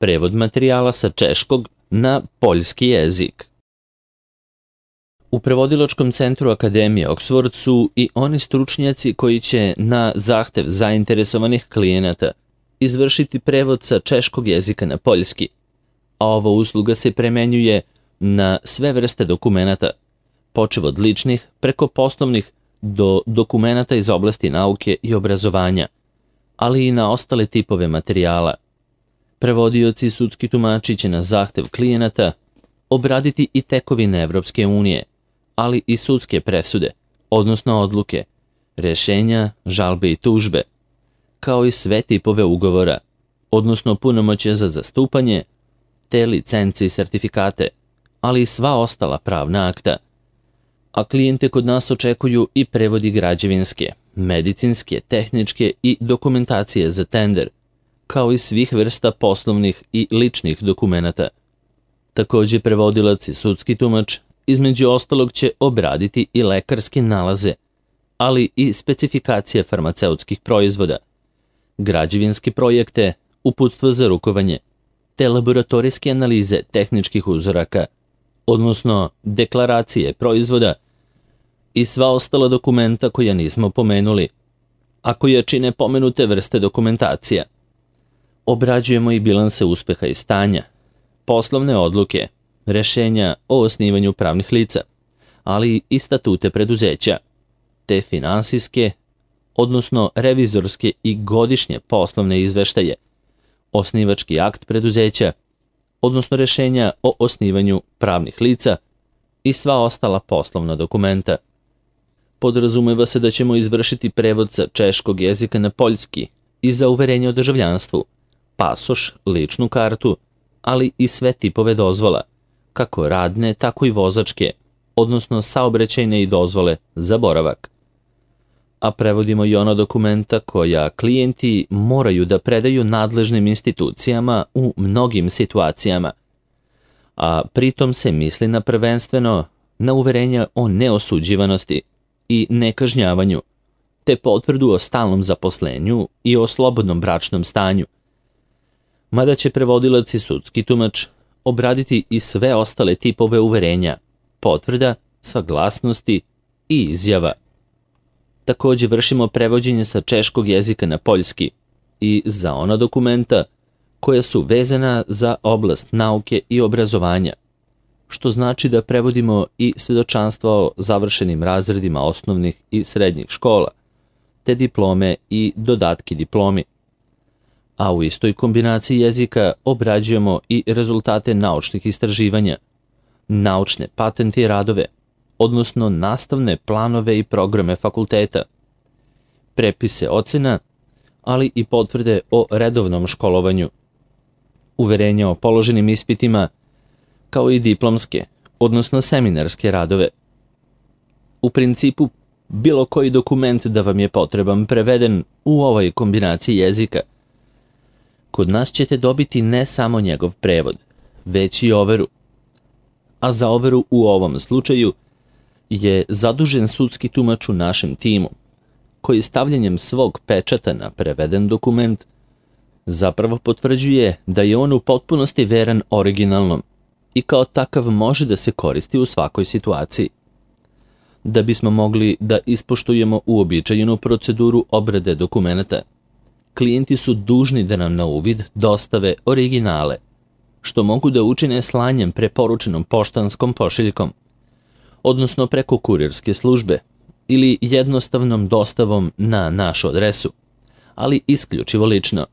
prevod materijala sa češkog na poljski jezik. U prevodilačkom centru Akademije Oxford su i oni stručnjaci koji će na zahtev zainteresovanih klijenata izvršiti prevod sa češkog jezika na poljski, a ova usluga se primenjuje na sve vrste dokumenata, počev od ličnih preko poslovnih do dokumenata iz oblasti nauke i obrazovanja, ali i na ostale tipove materijala. Prevodioci i sudski tumači će na zahtev klijenata obraditi i tekovine Evropske unije, ali i sudske presude, odnosno odluke, rešenja, žalbe i tužbe, kao i sve tipove ugovora, odnosno punomoćje za zastupanje, te licence i sertifikate, ali i sva ostala pravna akta. A klijente kod nas očekuju i prevodi građevinske, medicinske, tehničke i dokumentacije za tender, kao i svih vrsta poslovnih i ličnih dokumenata. Također prevodilac i sudski tumač između ostalog će obraditi i lekarske nalaze, ali i specifikacije farmaceutskih proizvoda, građevinske projekte, uputstva za rukovanje, te laboratorijske analize tehničkih uzoraka, odnosno deklaracije proizvoda i sva ostala dokumenta koja nismo pomenuli, a koja čine pomenute vrste dokumentacija. Obrađujemo i bilanse uspeha i stanja, poslovne odluke, rešenja o osnivanju pravnih lica, ali i statute preduzeća, te finansijske, odnosno revizorske i godišnje poslovne izveštaje, osnivački akt preduzeća, odnosno rešenja o osnivanju pravnih lica i sva ostala poslovna dokumenta. Podrazumeva se da ćemo izvršiti prevod sa češkog jezika na poljski i za uverenje o državljanstvu, pasoš, ličnu kartu, ali i sve tipove dozvola, kako radne, tako i vozačke, odnosno saobraćajne i dozvole za boravak. A prevodimo i ona dokumenta koja klijenti moraju da predaju nadležnim institucijama u mnogim situacijama, a pritom se misli na prvenstveno na uverenja o neosuđivanosti i nekažnjavanju, te potvrdu o stalnom zaposlenju i o slobodnom bračnom stanju. Mada će prevodilac i sudski tumač obraditi i sve ostale tipove uverenja, potvrda, saglasnosti i izjava. Također vršimo prevođenje sa češkog jezika na poljski i za ona dokumenta koja su vezana za oblast nauke i obrazovanja, što znači da prevodimo i svedočanstva o završenim razredima osnovnih i srednjih škola, te diplome i dodatki diplomi. A u istoj kombinaciji jezika obrađujemo i rezultate naučnih istraživanja, naučne patente i radove, odnosno nastavne planove i programe fakulteta, prepise ocena, ali i potvrde o redovnom školovanju, uverenja o položenim ispitima, kao i diplomske, odnosno seminarske radove. U principu, bilo koji dokument da vam je potreban preveden u ovoj kombinaciji jezika, kod nas ćete dobiti ne samo njegov prevod, već i overu. A za overu u ovom slučaju je zadužen sudski tumač u našem timu, koji stavljanjem svog pečata na preveden dokument zapravo potvrđuje da je on u potpunosti veran originalnom i kao takav može da se koristi u svakoj situaciji. Da bismo mogli da ispoštujemo uobičajenu proceduru obrade dokumenata, klijenti su dužni da nam na uvid dostave originale, što mogu da učine slanjem preporučenom poštanskom pošiljkom, odnosno preko kurirske službe ili jednostavnom dostavom na našu adresu, ali isključivo lično.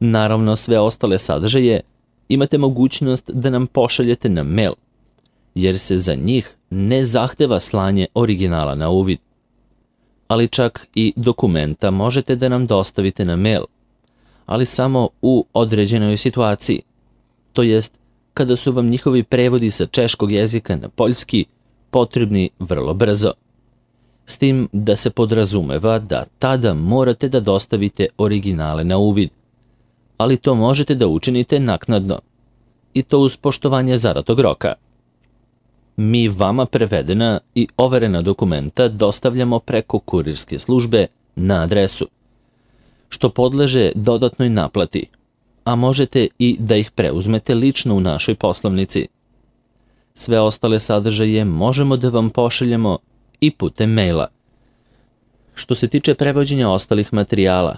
Naravno, sve ostale sadržaje imate mogućnost da nam pošaljete na mail, jer se za njih ne zahteva slanje originala na uvid. Ali čak i dokumenta možete da nam dostavite na mail, ali samo u određenoj situaciji, to jest kada su vam njihovi prevodi sa češkog jezika na poljski potrebni vrlo brzo. S tim da se podrazumeva da tada morate da dostavite originale na uvid, ali to možete da učinite naknadno, i to uz poštovanje zadatog roka. Mi vama prevedena i overena dokumenta dostavljamo preko kurirske službe na adresu, što podleže dodatnoj naplati, a možete i da ih preuzmete lično u našoj poslovnici. Sve ostale sadržaje možemo da vam pošaljemo i putem maila. Što se tiče prevođenja ostalih materijala,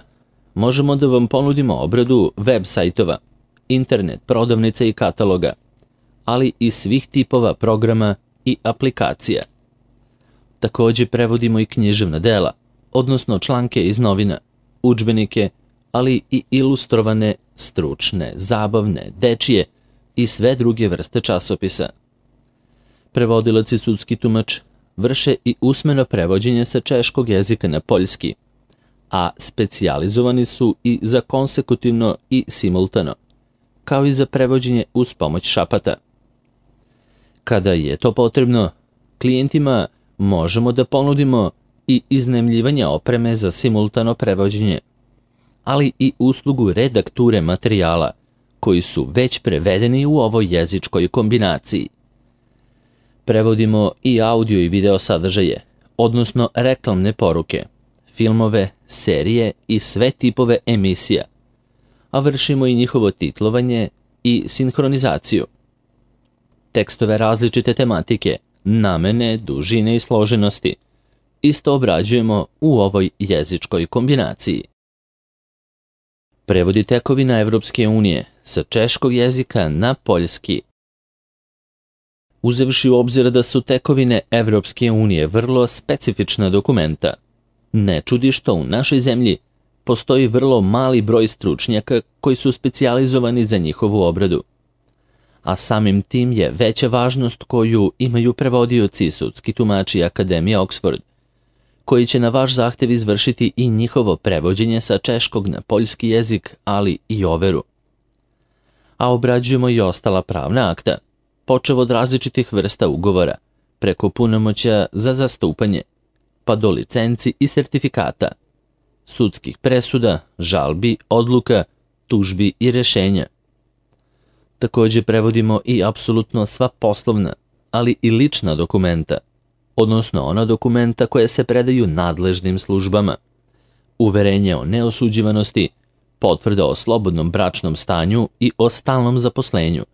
možemo da vam ponudimo obradu web sajtova, internet prodavnica i kataloga, ali i svih tipova programa i aplikacija. Takođe prevodimo i književna dela, odnosno članke iz novina, udžbenike, ali i ilustrovane, stručne, zabavne, dečije i sve druge vrste časopisa. Prevodilac i sudski tumač vrše i usmeno prevođenje sa češkog jezika na poljski, a specijalizovani su i za konsekutivno i simultano, kao i za prevođenje uz pomoć šapata. Kada je to potrebno, klijentima možemo da ponudimo i iznajmljivanje opreme za simultano prevođenje, ali i uslugu redakture materijala koji su već prevedeni u ovoj jezičkoj kombinaciji. Prevodimo i audio i video sadržaje, odnosno reklamne poruke, filmove, serije i sve tipove emisija, a vršimo i njihovo titlovanje i sinhronizaciju. Tekstove različite tematike, namene, dužine i složenosti isto obrađujemo u ovoj jezičkoj kombinaciji. Prevodi tekovina Evropske unije sa češkog jezika na poljski. Uzevši u obzir da su tekovine Evropske unije vrlo specifična dokumenta, ne čudi što u našoj zemlji postoji vrlo mali broj stručnjaka koji su specijalizovani za njihovu obradu, a samim tim je veća važnost koju imaju prevodioci i sudski tumači Akademije Oxford, koji će na vaš zahtev izvršiti i njihovo prevođenje sa češkog na poljski jezik, ali i overu. A obrađujemo i ostala pravna akta, počev od različitih vrsta ugovora, preko punomoćja za zastupanje, pa do licenci i sertifikata, sudskih presuda, žalbi, odluka, tužbi i rešenja. Takođe prevodimo i apsolutno sva poslovna, ali i lična dokumenta, odnosno ona dokumenta koje se predaju nadležnim službama, uverenje o neosuđivanosti, potvrda o slobodnom bračnom stanju i o stalnom zaposlenju,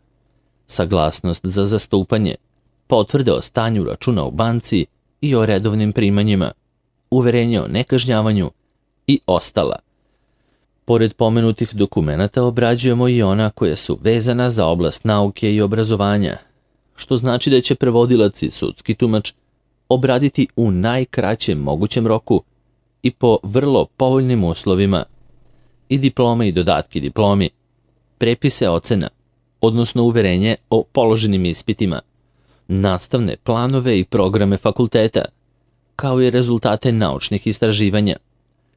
saglasnost za zastupanje, potvrde o stanju računa u banci i o redovnim primanjima, uverenje o nekažnjavanju i ostala. Pored pomenutih dokumenata obrađujemo i ona koja su vezana za oblast nauke i obrazovanja, što znači da će prevodilac i sudski tumač obraditi u najkraćem mogućem roku i po vrlo povoljnim uslovima i diplome i dodatke diplomi, prepise ocena, odnosno uverenje o položenim ispitima, nastavne planove i programe fakulteta, kao i rezultate naučnih istraživanja,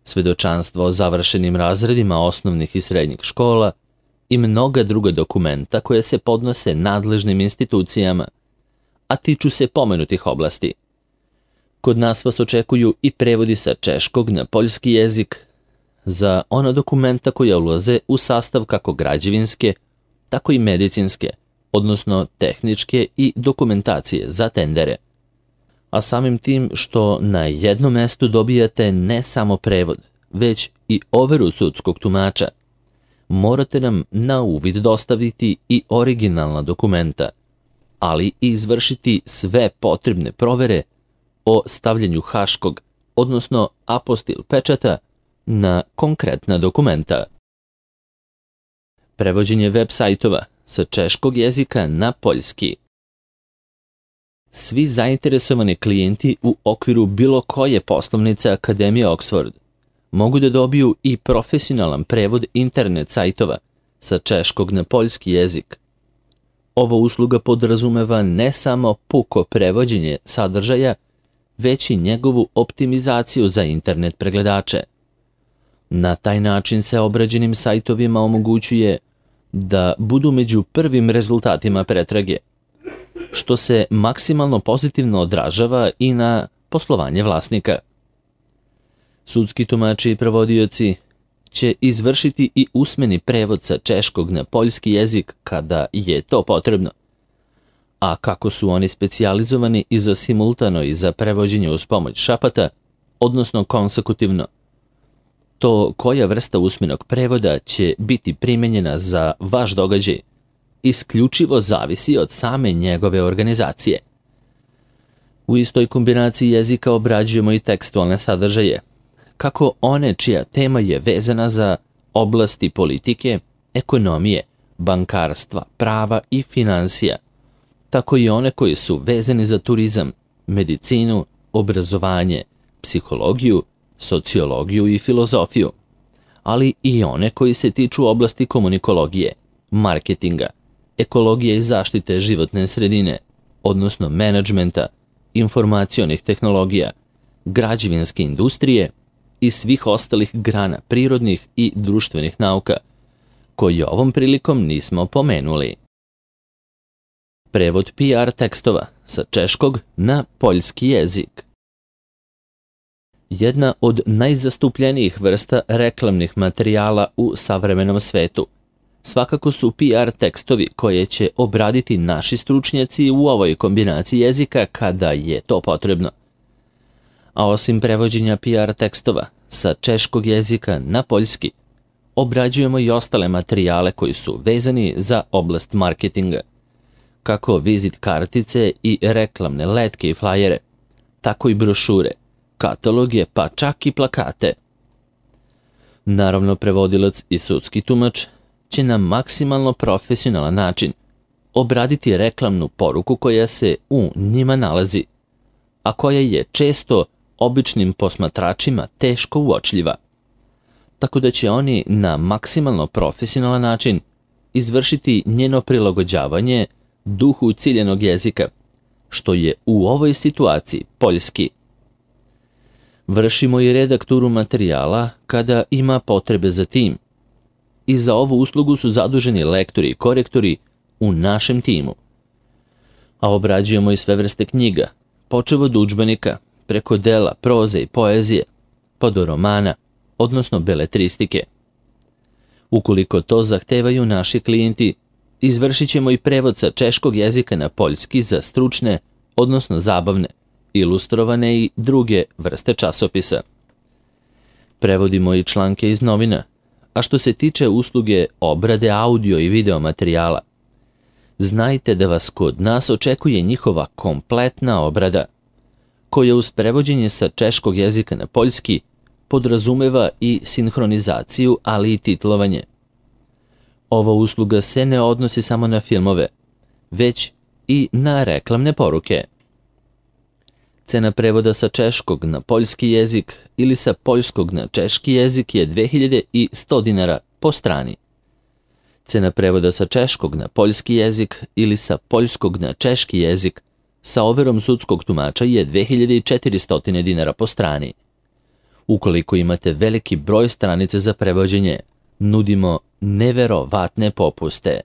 svedočanstvo o završenim razredima osnovnih i srednjih škola i mnoga druga dokumenta koje se podnose nadležnim institucijama, a tiču se pomenutih oblasti. Kod nas vas očekuju i prevodi sa češkog na poljski jezik za ona dokumenta koja ulaze u sastav kako građevinske, tako i medicinske, odnosno tehničke i dokumentacije za tendere. A samim tim što na jednom mestu dobijate ne samo prevod, već i overu sudskog tumača, morate nam na uvid dostaviti i originalna dokumenta, ali i izvršiti sve potrebne provere o stavljanju haškog, odnosno apostil pečata na konkretna dokumenta. Prevođenje web sajtova sa češkog jezika na poljski. Svi zainteresovani klijenti u okviru bilo koje poslovnice Akademije Oxford mogu da dobiju i profesionalan prevod internet sajtova sa češkog na poljski jezik. Ova usluga podrazumeva ne samo puko prevođenje sadržaja, već i njegovu optimizaciju za internet pregledače. Na taj način se obrađenim sajtovima omogućuje da budu među prvim rezultatima pretrage, što se maksimalno pozitivno odražava i na poslovanje vlasnika. Sudski tumači i prevodioci će izvršiti i usmeni prevod sa češkog na poljski jezik kada je to potrebno. A kako su oni specijalizovani i za simultano i za prevođenje uz pomoć šapata, odnosno konsekutivno, to koja vrsta usmenog prevoda će biti primenjena za vaš događaj isključivo zavisi od same njegove organizacije. U istoj kombinaciji jezika obrađujemo i tekstualne sadržaje, kako one čija tema je vezana za oblasti politike, ekonomije, bankarstva, prava i finansija, tako i one koji su vezani za turizam, medicinu, obrazovanje, psihologiju, sociologiju i filozofiju, ali i one koji se tiču oblasti komunikologije, marketinga, ekologije i zaštite životne sredine, odnosno menadžmenta, informacionih tehnologija, građevinske industrije i svih ostalih grana prirodnih i društvenih nauka, koji ovom prilikom nismo pomenuli. Prevod PR tekstova sa češkog na poljski jezik. Jedna od najzastupljenijih vrsta reklamnih materijala u savremenom svetu svakako su PR tekstovi koje će obraditi naši stručnjaci u ovoj kombinaciji jezika kada je to potrebno. A osim prevođenja PR tekstova sa češkog jezika na poljski, obrađujemo i ostale materijale koji su vezani za oblast marketinga, kako vizit kartice i reklamne letke i flajere, tako i brošure, kataloge pa čak i plakate. Naravno, prevodilac i sudski tumač će na maksimalno profesionalan način obraditi reklamnu poruku koja se u njima nalazi, a koja je često običnim posmatračima teško uočljiva, tako da će oni na maksimalno profesionalan način izvršiti njeno prilagođavanje duhu ciljenog jezika, što je u ovoj situaciji poljski. Vršimo i redakturu materijala kada ima potrebe za tim, i za ovu uslugu su zaduženi lektori i korektori u našem timu. A obrađujemo i sve vrste knjiga, počev od udžbenika, preko dela, proze i poezije, pa do romana, odnosno beletristike. Ukoliko to zahtevaju naši klijenti, izvršit ćemo i prevod sa češkog jezika na poljski za stručne, odnosno zabavne, ilustrovane i druge vrste časopisa. Prevodimo i članke iz novina, a što se tiče usluge obrade audio i video materijala, znajte da vas kod nas očekuje njihova kompletna obrada, koja uz prevođenje sa češkog jezika na poljski podrazumeva i sinhronizaciju, ali i titlovanje. Ova usluga se ne odnosi samo na filmove, već i na reklamne poruke. Cena prevoda sa češkog na poljski jezik ili sa poljskog na češki jezik je 2100 dinara po strani. Cena prevoda sa češkog na poljski jezik ili sa poljskog na češki jezik sa overom sudskog tumača je 2400 dinara po strani. Ukoliko imate veliki broj stranica za prevođenje, nudimo neverovatne popuste.